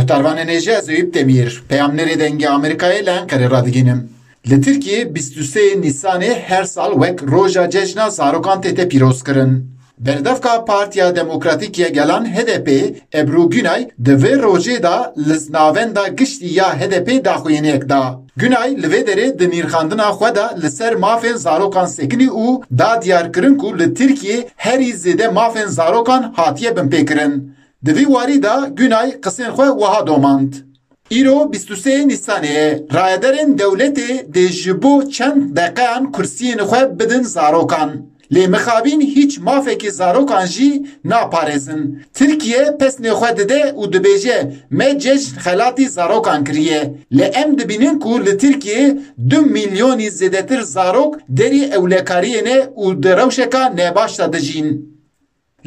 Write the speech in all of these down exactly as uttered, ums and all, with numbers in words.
Tarvanê nêje ez Eyüp Demir, peyamnerê Dengê Amerîkayê li Enqerê radigihînim. Li Tirkiyê bîst û sê Nîsanê her sal wek Roja Cejna Zarokan tête pîrozkirin. Berdevka Partiya Demokratîk ya Gelan H D P Ebru Günay di vê rojê de li navenda giştî ya H D P daxuyaniyek da. Günay li vê derê di nirxandina xwe de li ser mafên zarokan sekinî û da diyarkirin ku li Tirkiyê herî zêde mafên zarokan hatiye binpêkirin. Di vî warî de Günay qisên xwe wiha domand. Îro bîst û sê Nîsanê ye. Rayedarên dewletê dê ji bo çend deqeyan kursiyên xwe bidin zarokan. Lê mixabîn hîç mafekî zarokan jî naparêzin. Tirkiye pesnê xwe dide û dibêje, me cejn xelatî zarokan kiriye. Lê em dibînin ku li Tirkiyê du milyonî zêdetir zarok derî ewlekariyê ne û di rewşeka nebaş de dijîn.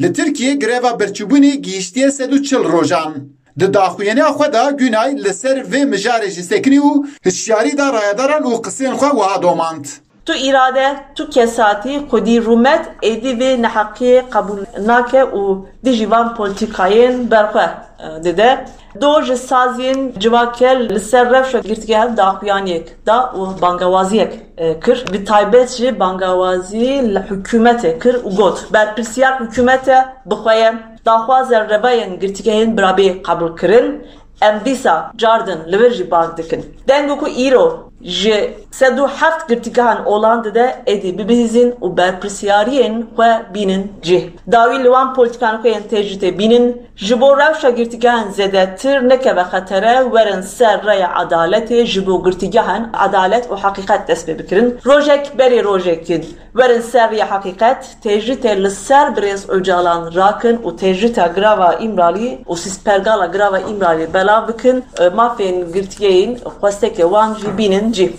Li Tirkiyê greva birçîbûnê gihîştiye sed û çil rojan. Di daxuyaniya xwe de Günay li ser vê mijarê jî sekinî û hişyarî da rayedaran û qisên xwe wiha domand. Tu îrade, tu kesatî, xwedî rûmet êdî vê neheqiyê qebûl nake û dijî van polîtîkayên berxwe, e, dide. Do ji saziyên civakê li ser rewşa girtîgehan daxuyaniyek da û bangawaziyek, e, kir. Bi taybet jî bangawazî li hikûmetê kir û got, berpirsiyar hikûmet e, bi xwe ye, daxwaza revayên girtîgehên birabê qebûl kirin, em dîsa cardin li vir jî bang dikin. Deng ku îro ji sed û heft girtîgehan olan dide êdî bibihîzin û berpirsiyariyên xwe bînin cih. Dawî li wan polîtîkan xwe yên têcîtê bînin, ji bo rewşa girtîgehan zêdetir nekeve xetere, werin ser rêya edaletê, ji bo girtîgehan edalet û heqîqet dest pê bikirin. Rojek berî rojekî werin ser rêya heqîqet, têcîtê li ser birêz Ocalan rakin û têcîta girava Îmralî û sîstpergala girava Îmralî belav bikin, mafên girtiyeyên xwestekê wan jî bînin cî.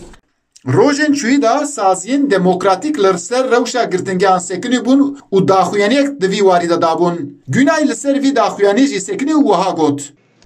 Rojên çûyî de saziyên demokratîk li ser rewşa girtingehan sekinî bûn û daxuyaniyek di vî warî de dabûn. Günay li ser vî daxuyanî jî sekinî û wiha got.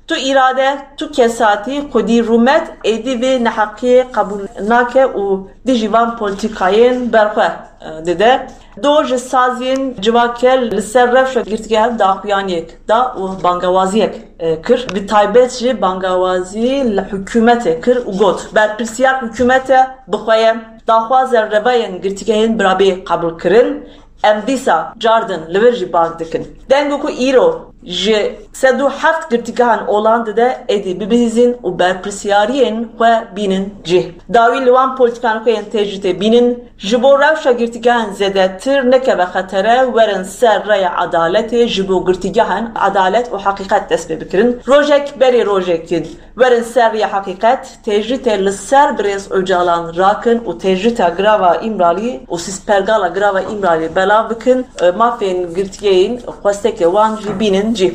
Tu îrade, tu kesatî, xwedî rûmet êdî vê neheqiyê qebûl nake û dijî van polîtîkayên berxwe, e, dide. Do ji saziyên civakê li ser rewşa girtîgehan daxuyaniyek da û bangewaziyek, e, kir. Bi taybet jî bangewazî li hikûmetê kir û got, berpirsiyar hikûmet e, bi xwe ye, daxwaza revayên girtîgehên birabê qebûl kirin, em dîsa cardin li vir jî bang dikin. Deng ku îro ji sed û heft girtîgehan olan dide êdî bibihîzin û berpirsiyariyên xwe bînin cih. Dawî li wan polîtîkan xwe yên têcîtê bînin, ji bo rewşa girtîgehan zêdetir nekeve xetere, werin ser rêya edaletê, ji bo girtîgehan edalet û heqîqet dest pê bikirin. Rojek berî rojekî werin ser rêya heqîqet, têcîtê li ser birêz Ocalan rakin û têcîta girava Îmralî û sîstpergala girava Îmralî belav bikin, e, mafên girtiyeyên xwestekê wan jî bînin cî.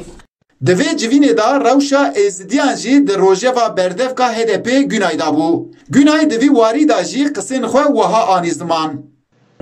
Di vê civînê de rewşa Êzidiyan jî di rojeva berdevka H D P Günay de bû. Günay di vî warî de jî qisên xwe wiha anî ziman.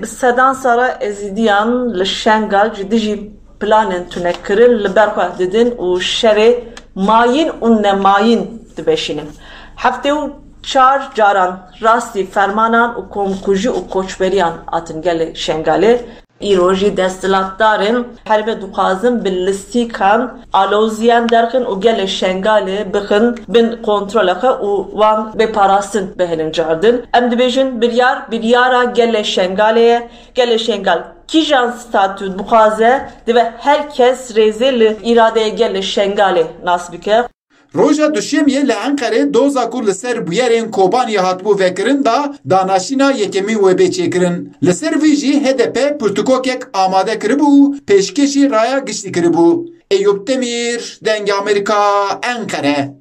Bi sedan sala Êzidiyan li Şengal ji dijî planên tunekirin li ber xwe didin û şerê mayîn û nemayîn diveşînin. Heftê û çar caran rastî fermanan û komkujî û koçberiyan hatin gelê Şengalê. Îro jî desthilatdarên herêmê dixwazin bi lîstîkan aloziyan derxin û gelê Şengalê bixin bin kontrola xwe û wan bê parastin bihêlin cardin. Em dibêjin biryar, biryara gelê Şengalê ye. Gelê Şengal kîjan statû dixwaze, divê her kes rêzê li îradeya gelê Şengalê nas bike. Roja Duşemiyê li Enqerê doza ku li ser bûyerên Kobaniyê hatibû vekirin da danaşîna yekemîn wê bê çêkirin. Li ser vî jî H D P pirtûkokek amade kiribû û pêşkêşî raya giştî kiribû. Eyûp Demîr, Dengê Amerîka, Enqere.